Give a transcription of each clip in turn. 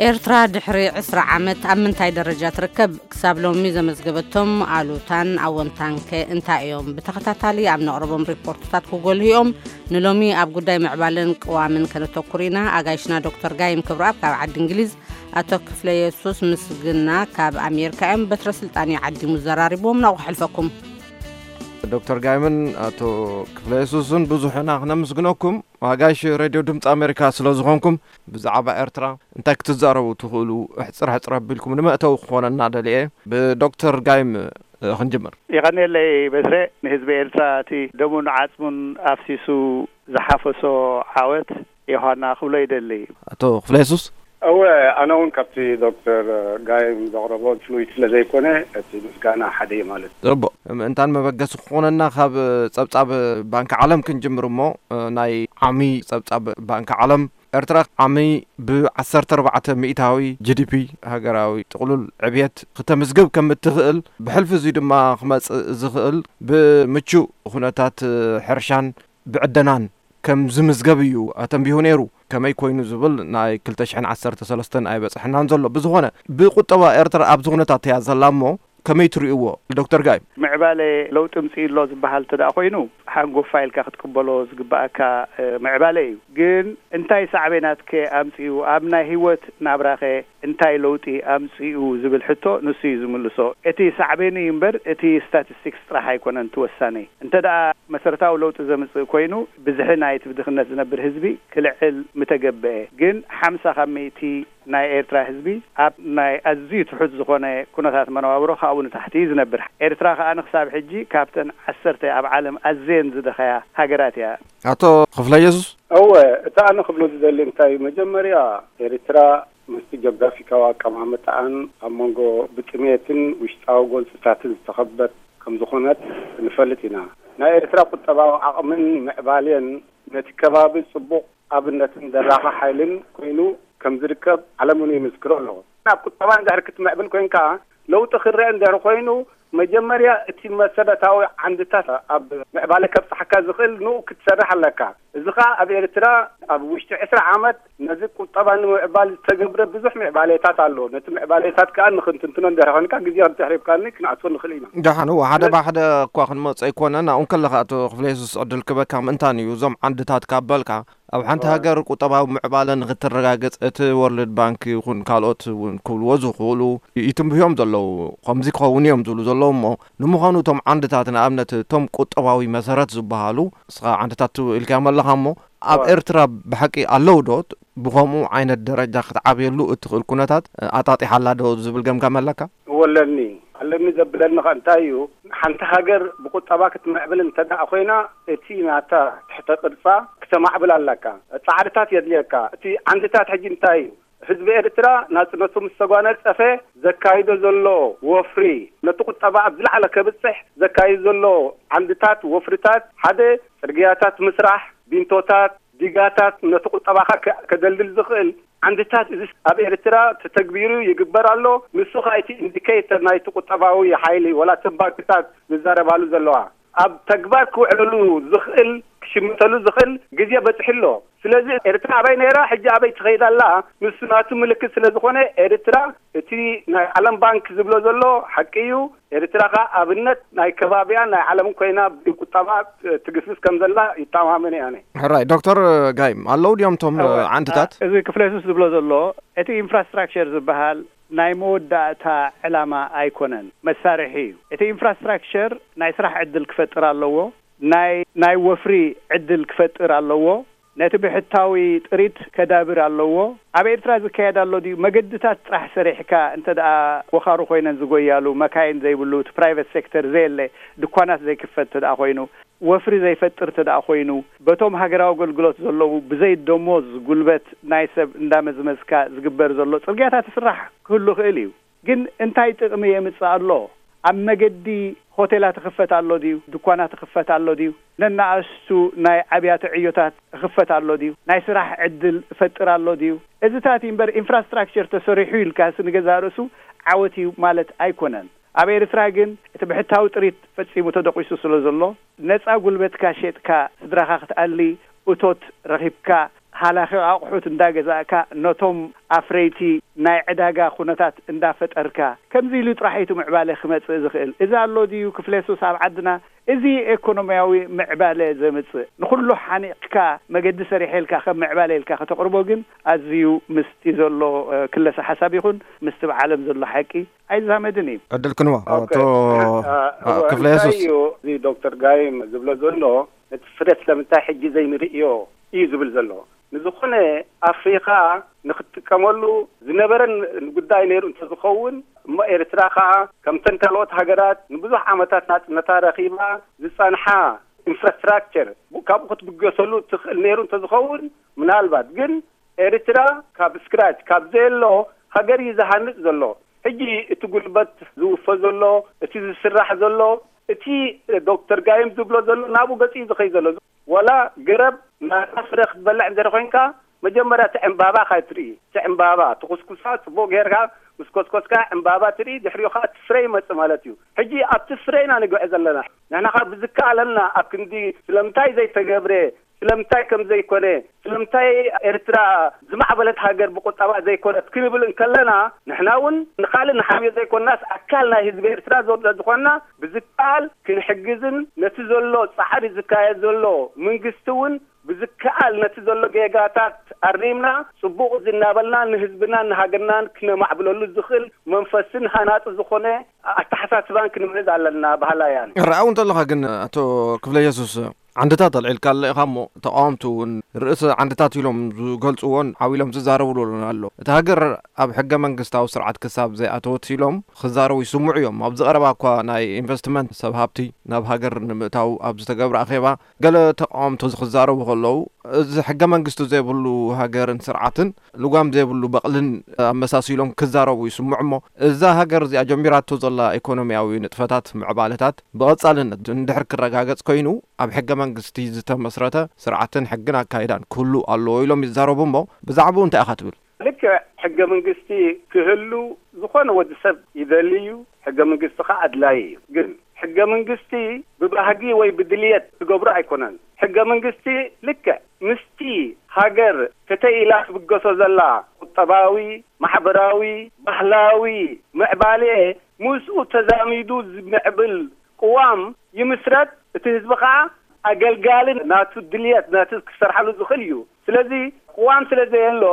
ኤርትራ ድሕሪ ዕስራ ዓመት ኣብ ምንታይ ደረጃ ትርከብ? ክሳብ ሎሚ ዘመዝገበቶም ኣሉታን ኣወንታን ከ እንታይ እዮም? ብተኸታታሊ ኣብ ነቕርቦም ሪፖርትታት ክጎልሁ እዮም። ንሎሚ ኣብ ጉዳይ ምዕባለን ቅዋምን ከነተኩር ኢና። ኣጋይሽና ዶክተር ጋይም ክብረኣብ ካብ ዓዲ እንግሊዝ፣ ኣቶ ክፍለ የሱስ ምስግና ካብ ኣሜሪካ እዮም። በትረ ስልጣን እዩ ዓዲሙ ዘራሪብዎም። ናብኡ ክሕልፈኩም። ዶክተር ጋይምን ኣቶ ክፍለ የሱስን ብዙሕ ኢና ክነምስግነኩም። ኣጋይሽ ሬድዮ ድምፂ ኣሜሪካ ስለ ዝኾንኩም፣ ብዛዕባ ኤርትራ እንታይ ክትዛረቡ ትኽእሉ? ሕፅር ሕፅር ኣቢልኩም ንመእተዊ ክኾነና ደልየ። ብዶክተር ጋይም፣ እ፣ ክንጅምር። የቐንየለይ በትረ። ንህዝቢ ኤርትራ እቲ ደሙን ዓጽሙን ኣፍሲሱ ዝሓፈሶ ዓወት ዮሃና ክብሎ ይደሊ። ኣቶ ክፍለ የሱስ? እወ፣ ኣነ እውን ካብቲ ዶክተር ጋይም ዘቕረቦ ፍሉይድ ስለ ዘይኮነ፣ እቲ ምስጋና ሓደ እዩ ማለት እዩ። ጽቡቕ። ምእንታን መበገሲ ክኾነና ካብ ጸብጻብ ባንኪ ዓለም ክንጅምር እሞ፣ ናይ ዓሚ ጸብጻብ ባንኪ ዓለም፣ ኤርትራ ዓሚ ብ14% ሚእታዊ ጂ ዲ ፒ፣ ሃገራዊ ጥቕሉል ዕብየት፣ ክተምዝግብ ከም እትኽእል፣ ብሕልፊ እዚ ድማ ክመጽእ ዝኽእል ብምቹእ ኩነታት ሕርሻን ብዕደናን ከም ዝምዝገብ እዩ ኣተንቢሁ ነይሩ። ከመይ ኮይኑ ዝብል ናይ ክልተ ሽሕን ዓሰርተ ሰለስተን ኣይበጽሐናን ዘሎ። ብዝኾነ፣ ብቁጠባ ኤርትራ ኣብዚ ኩነታት እያ ዘላ እሞ፣ ከመይ ትርእይዎ ዶክተር ጋይ? ምዕባለ ለውጢ ምጽኡ ኣሎ ዝበሃል እንተ ደኣ ኮይኑ፣ ሓንጎፋ ኢልካ ክትቅበሎ ዝግበኣካ፣ እ፣ ምዕባለ እዩ። ግን እንታይ ሳዕቤናት ከ ኣምጽኡ? ኣብ ናይ ህይወት ናብራኸ እንታይ ለውጢ ኣምጽኡ ዝብል ሕቶ ንሱ እዩ ዝምልሶ። እቲ ሳዕቤኑ እዩ እምበር፣ እቲ ስታቲስቲክስ ጥራሕ ኣይኮነን እቲ ወሳኒ። እንተ ደኣ መሰረታዊ ለውጢ ዘምጽእ ኮይኑ፣ ብዝሒ ናይቲ ብድኽነት ዝነብር ህዝቢ ክልዕል ምተገብአ። ግን ሓምሳ ካብ ሚእቲ ናይ ኤርትራ ህዝቢ ኣብ ናይ ኣዝዩ ትሑት ዝኾነ ኩነታት መነባብሮ ካብኡ ንታሕቲ እዩ ዝነብር። ኤርትራ ከኣ ንክሳብ ሕጂ ካብተን ዓሰርተ ኣብ ዓለም ኣዝየን ዝደኸያ ሃገራት እያ። ኣቶ ክፍለ የሱስ? እወ፣ እቲ ኣነ ክብሎ ዝደሊ እንታይ እዩ፣ መጀመርያ ኤርትራ ምስቲ ጀግራፊካዊ ኣቀማምጣኣን ኣብ መንጎ ብጥሜትን ውሽጣዊ ጎንጽታትን ዝተኸበት ከም ዝኾነት ንፈልጥ ኢና። ናይ ኤርትራ ቁጠባዊ ዓቕምን ምዕባሌን ነቲ ከባቢ ጽቡቕ ኣብነትን ደራኺ ሓይልን ኮይኑ ከም ዝርከብ ዓለም እውን ይምስክሮ ኣለዎ። ኣብ ቁጠባ እንድሕር ክትምዕብል ኮይንካ፣ ለውጢ ክረአ እንድሕር ኮይኑ፣ መጀመርያ እቲ መሰረታዊ ዓንድታት ኣብ ምዕባለ ከብጽሓካ ዝኽእል ንኡ ክትሰርሕ ኣለካ። እዚ ኸኣ ኣብ ኤርትራ ኣብ ውሽጢ ዕስራ ዓመት ነዚ ቁጠባ ንምዕባል ዝተገብረ ብዙሕ ምዕባሌታት ኣሎ። ነቲ ምዕባሌታት ከኣ ንኽንትንትኖ እንድሕር ኮይንካ፣ ግዜ እንድሕር ሂብካኒ ክንኣትዎ ንኽእል ኢና። ደሓን፣ እወ፣ ሓደ ስለ- ብሓደ እኳ ክንመጽእ ኣይኮነን። ኣብኡ እንከለኻ ኣቶ ክፍለ የሱስ ዕድል ክበካ ምእንታን እዩ። እዞም ዓንድታት ካብ በልካ፣ ኣብ ሓንቲ እወ። ሃገር ቁጠባዊ ምዕባለ ንኽትረጋገጽ እቲ ወርልድ ባንክ ይኹን ካልኦት እውን ክብልዎ ዝኽእሉ ይትንብዮም ዘለዉ። ከምዚ ክኸውን እዮም ዝብሉ ዘለዉ እሞ፣ ንምዃኑ እቶም ዓንድታት ንኣብነት እቶም ቁጠባዊ መሰረት ዝበሃሉ ንስኻ ዓንድታት ትብል ኢልካዮም ኣለኻ እሞ፣ ኣብ እወ። ኤርትራ ብሓቂ ኣለዉ ዶ? ብኸምኡ ዓይነት ደረጃ ክትዓብየሉ እትኽእል ኩነታት ኣጣጢሓ ኣላ ዶ ዝብል ገምጋም ኣለካ? እወ ኣለኒ። ኣለኒ ዘብለኒ ኸ እንታይ እዩ? ሓንቲ ሃገር ብቁጠባ ክትምዕብል እንተ ደኣ ኮይና፣ እቲ ናታ ትሕተ ቅርጻ ክተማዕብል ኣለካ። ጻዕርታት የድልየካ። እቲ ዓንድታት ሕጂ እንታይ እዩ? ህዝቢ ኤርትራ ናጽነቱ ምስ ተጓነጸፈ ዘካይዶ ዘሎ ወፍሪ፣ ነቲ ቁጠባ ኣብ ዝለዓለ ከብጽሕ ዘካይዶ ዘሎ ዓንድታት ወፍርታት፣ ሓደ ጽርግያታት ምስራሕ፣ ቢንቶታት፣ ዲጋታት፣ ነቲ ቁጠባኻ ከ-፣ ከደልድል ዝኽእል ዓንድታት፣ እዚ ኣብ ኤርትራ ተተግቢሩ ይግበር ኣሎ። ንሱ ኸኣ እቲ ኢንዲኬተር ናይቲ ቁጠባዊ ሓይሊ፣ ወላ እተን ባንክታት ዝዛረባሉ ዘለዋ፣ ኣብ ተግባር ክውዕለሉ ዝኽእል፣ ክሽምተሉ ዝኽእል ግዜ በጺሑ ኣሎ። ስለዚ ኤርትራ ኣበይ ነይራ፣ ሕጂ ኣበይ ትኸይድ ኣላ፣ ንሱ ናቱ ምልክት ስለ ዝኾነ፣ ኤርትራ እቲ ናይ ዓለም ባንክ ዝብሎ ዘሎ ሓቂ እዩ። ኤርትራ ኸኣ ኣብነት ናይ ከባቢያን ናይ ዓለምን ኮይና ብቁጠባ ትግስግስ ከም ዘላ ይተማመን እየ ኣነ። ሕራይ፣ ዶክተር ጋይም፣ ኣለዉ ድዮም እቶም እወ፣ ዓንድታት? እ፣ እዚ ክፍለ የሱስ ዝብሎ ዘሎ፣ እቲ ኢንፍራስትራክቸር ዝበሃል ናይ መወዳእታ ዕላማ ኣይኮነን፣ መሳርሒ እዩ። እቲ ኢንፍራስትራክቸር ናይ ስራሕ ዕድል ክፈጥር ኣለዎ፣ ናይ፣ ናይ ወፍሪ ዕድል ክፈጥር ኣለዎ፣ ነቲ ብሕታዊ ጥሪት ከዳብር ኣለዎ። ኣብ ኤርትራ ዝካየድ ኣሎ ድዩ? መገድታት ጥራሕ ሰሪሕካ እንተ ደኣ ወኻሩ ኮይነን ዝጎያሉ፣ መካይን ዘይብሉ፣ እቲ ፕራይቨት ሴክተር ዘየለ፣ ድኳናት ዘይክፈት እንተ ደኣ ኮይኑ፣ ወፍሪ ዘይፈጥር እንተ ደኣ ኮይኑ፣ በቶም ሃገራዊ ኣገልግሎት ዘለዉ ብዘይ ደሞዝ ጉልበት ናይ ሰብ እንዳመዝመዝካ ዝግበር ዘሎ ጽርግያታት ይስራሕ ክህሉ ይኽእል እዩ። ግን እንታይ ጥቕሚ የምጽእ ኣሎ? ኣብ መገዲ ሆቴላት ይኽፈት ኣሎ ድዩ? ድኳናት ይኽፈት ኣሎ ድዩ? ነናእሽቱ ናይ ኣብያተ ዕዮታት ይኽፈት ኣሎ ድዩ? ናይ ስራሕ ዕድል ይፈጥር ኣሎ ድዩ? እዚታት እዩ እምበር፣ ኢንፍራስትራክቸር ተሰሪሑ ኢልካስ ንገዛእ ርእሱ ዓወት እዩ ማለት ኣይኮነን። ኣብ ኤርትራ ግን እቲ ብሕታዊ ጥሪት ፈጺሙ ተደቂሱ ስለ ዘሎ፣ ነጻ ጉልበትካ ሸጥካ ስድራኻ ክትኣሊ እቶት ረኺብካ፣ ሃላኺ ኣቑሑት እንዳገዛእካ፣ ነቶም ኣፍረይቲ ናይ ዕዳጋ ኩነታት እንዳፈጠርካ፣ ከምዚ ኢሉ ጥራሕ እዩ እቲ ምዕባለ ክመጽእ ዝኽእል። እዚ ኣሎ ድዩ ክፍለ ሱስ ኣብ ዓድና? እዚ ኤኮኖሚያዊ ምዕባለ ዘምጽእ፣ ንኹሉ ሓኒቕካ መገዲ ሰሪሐ ኢልካ ከም ምዕባለ ኢልካ ከተቕርቦ ግን ኣዝዩ ምስቲ ዘሎ፣ እ፣ ክለሰ ሓሳብ ይኹን ምስቲ ኣብ ዓለም ዘሎ ሓቂ ኣይዛመድን እዩ። ዕድል ክንዋ፣ ኦኬ። ኣቶ፣ እ፣ እ፣ እ፣ ክፍለ እንታይ የሱስ። እዩ እዚ ዶክተር ጋይም ዝብሎ ዘሎ? እቲ ፍረ ስለምንታይ ሕጂ ዘይንርእዮ እዩ ዝብል ዘሎ። ንዝኾነ ኣፍሪኻ ንኽትጥቀመሉ ዝነበረን ጉዳይ ነይሩ እንተዝኸውን፣ እሞ ኤርትራ ኸኣ ከምተን ካልኦት ሃገራት ንብዙሕ ዓመታት ናጽነታ ረኺባ ዝጸንሓ ኢንፍራስትራክቸር ካብኡ ክትብገሰሉ ትኽእል ነይሩ እንተዝኸውን፣ ምናልባት ግን ኤርትራ ካብ ስክራች፣ ካብ ዘየሎ ሃገር እዩ ዝሃንጽ ዘሎ። ሕጂ እቲ ጉልበት ዝውፈ ዘሎ፣ እቲ ዝስራሕ ዘሎ፣ እቲ ዶክተር ጋይም ዝብሎ ዘሎ ናብኡ ገጽ እዩ ዝኸይ ዘሎ። ወላ ገረብ ናታ ፍረ ክትበልዕ እንድሕር ኮይንካ፣ መጀመርያ እቲ ዕምባባ ካይ ትርኢ። እቲ ዕምባባ ትኹስኩሳ፣ ጽቡቕ ጌርካ ምስ ኮስኮስካ ዕምባባ ትርኢ፣ ድሕሪኡ ኸኣ እቲ ፍረ ይመጽእ ማለት እዩ። ሕጂ ኣብቲ ፍረ ኢና ንግዕዝ ዘለና። ንሕና ኸኣ ብዝከኣለና ኣብ ክንዲ ስለምንታይ ዘይተገብረ፣ ስለምንታይ ከም ዘይኮነ፣ ስለምንታይ ኤርትራ ዝማዕበለት ሃገር ብቁጠባ ዘይኮነት ክንብል እንከለና፣ ንሕና እውን ንኻልእ ንሓምዮ ዘይኮንናስ፣ ኣካል ናይ ህዝቢ ኤርትራ ዘሎ ዝኾንና፣ ብዝከኣል ክንሕግዝን ነቲ ዘሎ ጻዕሪ ዝካየድ ዘሎ መንግስቲ እውን ብዝከኣል ነቲ ዘሎ ጌጋታት ኣሪምና፣ ጽቡቕ እዚ እናበልና ንህዝብናን ንሃገርናን ክነማዕብለሉ ዝኽእል መንፈስን ሃናጺ ዝኾነ ኣተሓሳስባን ክንምዕዝ ኣለና በሃላይ ኣነ። ርኣው እንተለኻ ግን፣ ኣቶ ክፍለ የሱስ፣ ዓንድታት ኣልዒልካለ ኢኻ እሞ፣ ተቃወምቲ እውን ርእሲ ዓንድታት ኢሎም ዝገልጽዎን ሓው ኢሎም ዝዛረብሉ ኣሎ። እቲ ሃገር ኣብ ሕገ መንግስታዊ ስርዓት ክሳብ ዘይኣተወት ኢሎም ክዛረቡ ይስምዑ እዮም። ኣብዚ ቀረባ እኳ ናይ ኢንቨስትመንት ሰብ ሃብቲ ናብ ሃገር ንምእታው ኣብ ዝተገብረ ኣኼባ፣ ገለ ተቃወምቲ እዚ ክዛረቡ ከለዉ፣ እዚ ሕገ መንግስቲ ዘይብሉ ሃገርን ስርዓትን ልጓም ዘይብሉ በቕልን ኣመሳሲሎም ክዛረቡ ይስምዑ እሞ፣ እዛ ሃገር እዚኣ ጀሚራቶ ዘላ ኢኮኖሚያዊ ንጥፈታት፣ ምዕባለታት ብቐጻልነት እንድሕር ክረጋገጽ ኮይኑ፣ ኣብ ሕገ መንግስቲ ዝተመስረተ ስርዓትን ሕግን ኣካይዳን ክህሉ ኣለዎ ኢሎም ይዛረቡ እሞ፣ ብዛዕባኡ እንታይ ኢኻ ትብል? ልክዕ፣ ሕገ መንግስቲ ክህሉ ዝኾነ ወዲ ሰብ ይደሊ እዩ። ሕገ መንግስቲ ኸኣ ኣድላዪ እዩ። ግን ሕገ መንግስቲ ብባህጊ ወይ ብድልየት ዝገብሮ ኣይኮነን። ሕገ መንግስቲ ልክዕ ምስቲ ሃገር ከተይ ኢላ ትብገሶ ዘላ ቁጠባዊ፣ ማሕበራዊ፣ ባህላዊ ምዕባሌ ምስኡ ተዛሚዱ ዝምዕብል ቅዋም ይምስረት። እቲ ህዝቢ ኸኣ ኣገልጋሊ ናቱ ድልየት ናቱ ክሰርሓሉ ዝኽእል እዩ። ስለዚ ቅዋም ስለ ዘየሎ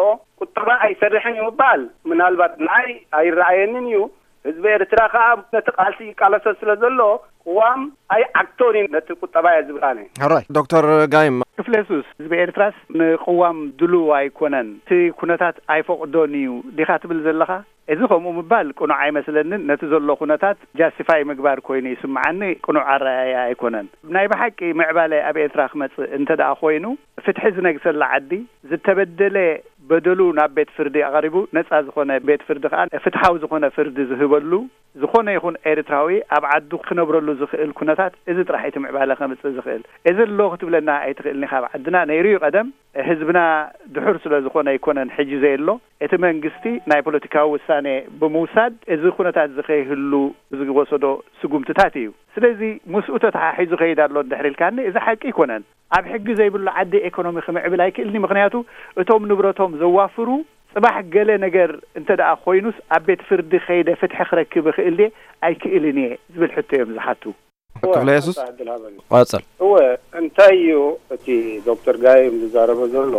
ቁጠባ ኣይሰርሕን እዩ ምባል ምናልባት ንዓይ ኣይረኣየንን እዩ። ህዝቢ ኤርትራ ኸኣ ነቲ ቃልሲ ይቃለሶ ስለ ዘሎ ቅዋም ኣይዓግቶን እዩ ነቲ ቁጠባ እየ ዝብል ኣነ። ሕራይ ዶክተር ጋይም። ክፍለ የሱስ፣ ህዝቢ ኤርትራስ ንቅዋም ድሉው ኣይኮነን፣ እቲ ኩነታት ኣይፈቕዶን እዩ ዲኻ ትብል ዘለኻ? እዚ ከምኡ ምባል ቅኑዕ ኣይመስለንን። ነቲ ዘሎ ኩነታት ጃስቲፋይ ምግባር ኮይኑ ይስምዓኒ፣ ቅኑዕ ኣረኣእያ ኣይኮነን። ናይ ብሓቂ ምዕባለ ኣብ ኤርትራ ክመጽእ እንተ ደኣ ኮይኑ፣ ፍትሒ ዝነግሰላ ዓዲ፣ ዝተበደለ በደሉ ናብ ቤት ፍርዲ ኣቕሪቡ፣ ነጻ ዝኾነ ቤት ፍርዲ ከኣ ፍትሓዊ ዝኾነ ፍርዲ ዝህበሉ፣ ዝኾነ ይኹን ኤርትራዊ ኣብ ዓዱ ክነብረሉ ዝኽእል ኩነታት፣ እዚ ጥራሕ እቲ ምዕባለ ከምጽእ ዝኽእል። እዚ ኣሎ ክትብለና ኣይትኽእልን ኢኻ። ኣብ ዓድና ነይሩ እዩ ቀደም። ህዝብና ድሑር ስለ ዝኾነ ኣይኮነን ሕጂ ዘየሎ። እቲ መንግስቲ ናይ ፖለቲካዊ ውሳኔ ብምውሳድ፣ እዚ ኩነታት እዚ ከይህሉ ዝወሰዶ ስጉምትታት እዩ። ስለዚ ምስኡ ተተሓሒዙ ከይድ ኣሎ እንድሕር ኢልካኒ፣ እዚ ሓቂ ኣይኮነን። ኣብ ሕጊ ዘይብሉ ዓዲ ኤኮኖሚ ክምዕብል ኣይክእልን እዩ። ምኽንያቱ እቶም ንብረቶም ዘዋፍሩ፣ ጽባሕ ገለ ነገር እንተ ደኣ ኮይኑስ፣ ኣብ ቤት ፍርዲ ከይደ ፍትሒ ክረክብ እኽእል ድየ ኣይክእልን እየ ዝብል ሕቶ እዮም ዝሓቱ። ክፍለ የሱስ? ሓንቲ ዕድል ሃበኒ። ቀጽል። እወ፣ እንታይ እዩ እቲ ዶክተር ጋይም ዝዛረቦ ዘሎ?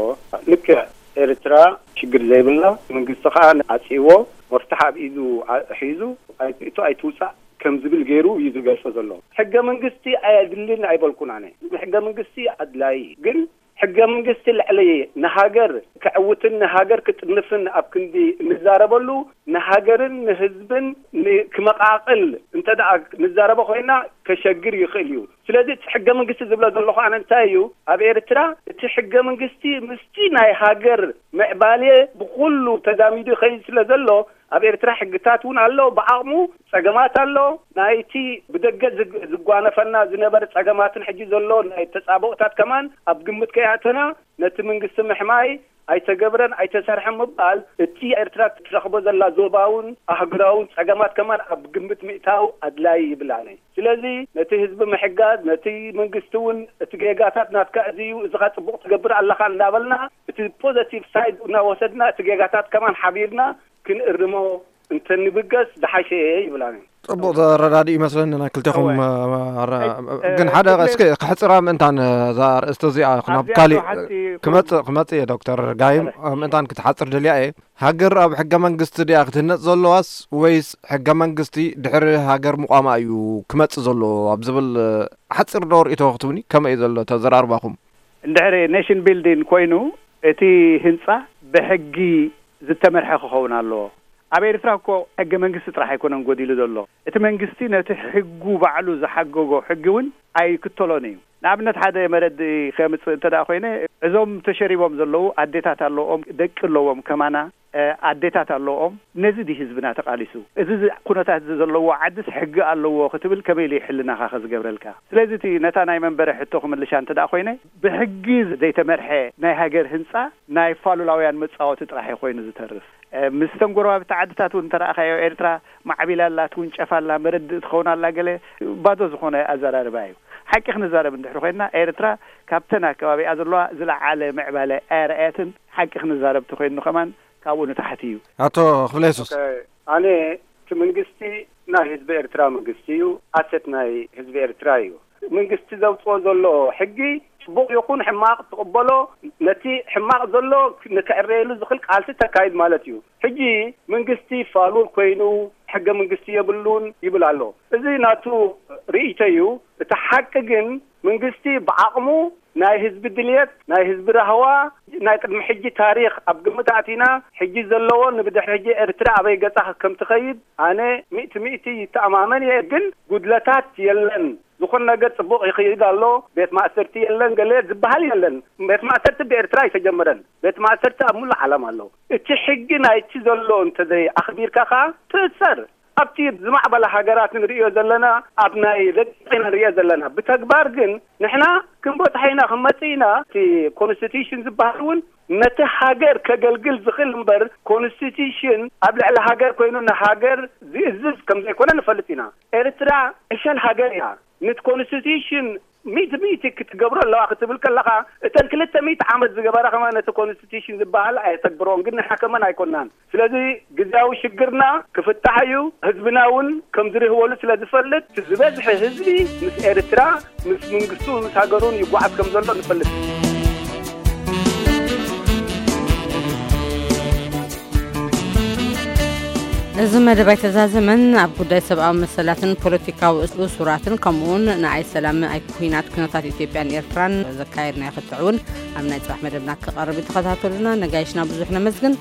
ልክዕ ኤርትራ ሽግር ዘይብላ፣ መንግስቲ ከኣ ዓጽይዎ፣ መፍትሕ ኣብ ኢዱ ኣ-፣ ሒዙ፣ ኣይትእቶ ኣይትውጻእ ከም ዝብል ገይሩ እዩ ዝገልጾ ዘሎ። ሕገ መንግስቲ ኣየድልን ኣይበልኩን ኣነ። ሕገ መንግስቲ ኣድላዪ እዩ። ግን ሕገ መንግስቲ ልዕሊ ንሃገር ከዕውትን ንሃገር ክጥንፍን ኣብ ክንዲ እንዛረበሉ፣ ንሃገርን ንህዝብን ን-፣ ክመቓቕል እንተ ደኣ ንዛረቦ ኮይና ከሸግር ይኽእል እዩ። ስለዚ እቲ ሕገ መንግስቲ ዝብሎ ዘለኹ ኣነ እንታይ እዩ፣ ኣብ ኤርትራ እቲ ሕገ መንግስቲ ምስቲ ናይ ሃገር ምዕባሌ ብኹሉ ተዛሚዱ ይኸይድ ስለ ዘሎ፣ ኣብ ኤርትራ ሕግታት እውን ኣሎ፣ ብዓቕሙ ጸገማት ኣሎ። ናይቲ ብደገ ዝግ-፣ ዝጓነፈና ዝነበረ ጸገማትን ሕጂ ዘሎ ናይ ተጻብኦታት ከማን ኣብ ግምት ከይኣተና፣ ነቲ መንግስቲ ምሕማይ፣ ኣይተገብረን ኣይተሰርሐን ምባል፣ እቲ ኤርትራ ትረኽቦ ዘላ ዞባውን ኣህጉራውን ጸገማት ከማን ኣብ ግምት ምእታው ኣድላይ ይብል ኣነ። ስለዚ ነቲ ህዝቢ ምሕጋዝ፣ ነቲ መንግስቲ እውን እቲ ጌጋታት ናትካ እዚ እዩ፣ እዚ ኸኣ ጽቡቕ ትገብር ኣለኻ እንዳበልና፣ እቲ ፖዘቲቭ ሳይድ እናወሰድና፣ እቲ ጌጋታት ከማን ሓቢርና ክንእርሞ እንተንብገስ ዝሓሸ ይብል ኣነ። ጽቡቕ ተረዳድኡ ይመስለኒ ናይ ክልቴኹም። እወ። ኣረ፣ እይ፣ እ፣ ግን ሓደ ክልቴ እስኪ ክሕጽራ ምእንታን እዛ ኣርእስቲ እዚኣ ናብ ኣዝያ ካሊእ ተዋሓጥቲ ክመጽእ፣ ክመጽእ እየ ዶክተር ጋይም፣ እረ። ምእንታን ክትሓጽር ደልያ እየ። ሃገር ኣብ ሕገ መንግስቲ ድያ ክትህነጽ ዘለዋስ ወይስ ሕገ መንግስቲ ድሕሪ ሃገር ምቋማ እዩ ክመጽእ ዘለዎ ኣብ ዝብል ሓጺር ዶ ርእይቶ ክትብኒ ከመይ እዩ ዘሎ ተዘራርባኹም? እንድሕሪ ኔሽን ቢልዲንግ ኮይኑ እቲ ህንጻ ብሕጊ ዝተመርሐ ክኸውን ኣለዎ። ኣብ ኤርትራ እኮ ሕገ መንግስቲ ጥራሕ ኣይኮነን ጎዲሉ ዘሎ። እቲ መንግስቲ ነቲ ሕጉ ባዕሉ ዝሓገጎ ሕጊ እውን ኣይክተሎን እዩ። ንኣብነት ሓደ መረድኢ ከምጽእ እንተ ደኣ ኮይነ፣ እዞም ተሸሪቦም ዘለዉ ኣዴታት ኣለዎም፣ ደቂ ኣለዎም፣ ከማና፣ እ፣ ኣዴታት ኣለዎም። ነዚ ድዩ ህዝብና ተቓሊሱ? እዚ ዝ-፣ ኩነታት እዚ ዘለዎ ዓድስ ሕጊ ኣለዎ ክትብል ከመይ ኢሉ ሕልናኻ ከዝገብረልካ? ስለዚ እቲ ነታ ናይ መንበሪ ሕቶ ክምልሻ እንተ ደኣ ኮይነ፣ ብሕጊ ዘይተመርሐ ናይ ሃገር ህንጻ ናይ ፋሉላውያን መጻወቲ ጥራሕ እዩ ኮይኑ ዝተርፍ። እ፣ ምስ ተን ጎረባብቲ ዓድታት እውን እንተ ረኣኻዮ፣ ኤርትራ ማዕቢላ ኣላ፣ ትውንጨፍ ኣላ፣ መረድእ ትኸውን ኣላ፣ ገለ ባዶ ዝኾነ ኣዘራርባ እዩ። ሓቂ ክንዛረብ እንድሕሪ ኮይንና፣ ኤርትራ ካብተን ኣከባቢኣ ዘለዋ ዝለዓለ ምዕባለ ኣየርኣየትን። ሓቂ ክንዛረብ ተኮይኑ ከማን ካብኡ ንታሕቲ እዩ። ኣቶ ክፍለ የሱስ። ኦኬ፣ ኣነ እቲ መንግስቲ ናይ ህዝቢ ኤርትራ መንግስቲ እዩ፣ ኣሰት ናይ ህዝቢ ኤርትራ እዩ። መንግስቲ ዘውፅኦ ዘሎ ሕጊ ጽቡቕ ይኹን ሕማቕ ትቕበሎ፣ ነቲ ሕማቕ ዘሎ ንክዕረየሉ ዝኽእል ቃልሲ ተካይድ ማለት እዩ። ሕጂ መንግስቲ ፋሉል ኮይኑ ሕገ መንግስቲ የብሉን ይብል ኣሎ። እዚ ናቱ ርእይቶ እዩ። እቲ ሓቂ ግን መንግስቲ ብዓቕሙ ናይ ህዝቢ ድልየት፣ ናይ ህዝቢ ራህዋ፣ ናይ ቅድሚ ሕጂ ታሪኽ ኣብ ግምት ኣእቲና፣ ሕጂ ዘለዎ ንብድሕሪ ሕጂ ኤርትራ ኣበይ ገጻ ከም ትኸይድ ኣነ ሚእቲ ሚእቲ ይተኣማመን እየ። ግን ጉድለታት የለን። ዝኾነ ነገር ጽቡቕ ይኸይድ ኣሎ፣ ቤት ማእሰርቲ የለን፣ ገለ ዝበሃል የለን። ቤት ማእሰርቲ ብኤርትራ ኣይተጀመረን። ቤት ማእሰርቲ ኣብ ሙሉእ ዓለም ኣሎ። እቲ ሕጊ ናይቲ ዘሎ እንተዘይ ኣኽቢርካ ኸኣ ትእሰር። ኣብቲ ዝማዕበላ ሃገራት ንርእዮ ዘለና፣ ኣብ ናይ ደቂ ኢና ንርእዮ ዘለና። ብተግባር ግን ንሕና ክንበጽሖ ኢና፣ ክንመጽእ ኢና። እቲ ኮንስቲቱሽን ዝበሃል እውን ነቲ ሃገር ከገልግል ዝኽእል እምበር፣ ኮንስቲቱሽን ኣብ ልዕሊ ሃገር ኮይኑ ንሃገር ዝእዝዝ ከም ዘይኮነ ንፈልጥ ኢና። ኤርትራ ዕሸል ሃገር እያ። ንቲ ኮንስቲቱሽን ሚእቲ ሚእቲ ክትገብሮ ኣለዋ ክትብል ከለኻ፣ እተን ክልተ ሚእቲ ዓመት ዝገበራ ከማን ነቲ ኮንስቲቱሽን ዝበሃል ኣየተግብሮን፣ ግን ንሕና ከማን ኣይኮናን። ስለዚ ግዝያዊ ሽግርና ክፍታሕ እዩ። ህዝብና እውን ከም ዝርህወሉ ስለ ዝፈልጥ፣ ዝበዝሐ ህዝቢ ምስ ኤርትራ፣ ምስ መንግስቱ፣ ምስ ሃገሩን ይጓዓዝ ከም ዘሎ ንፈልጥ። እዚ መደብ ኣይተዛዘመን። ኣብ ጉዳይ ሰብኣዊ መሰላትን ፖለቲካዊ እሱራትን፣ ከምኡውን ንኣይ ሰላም ኣይ ኩናት ኩነታት ኢትዮጵያን ኤርትራን ዘካየድናዮ ክትዕ እውን ኣብ ናይ ጽባሕ መደብና ክቐርብ እዩ። ተኸታተሉና። ነጋይሽና ብዙሕ ነመስግን።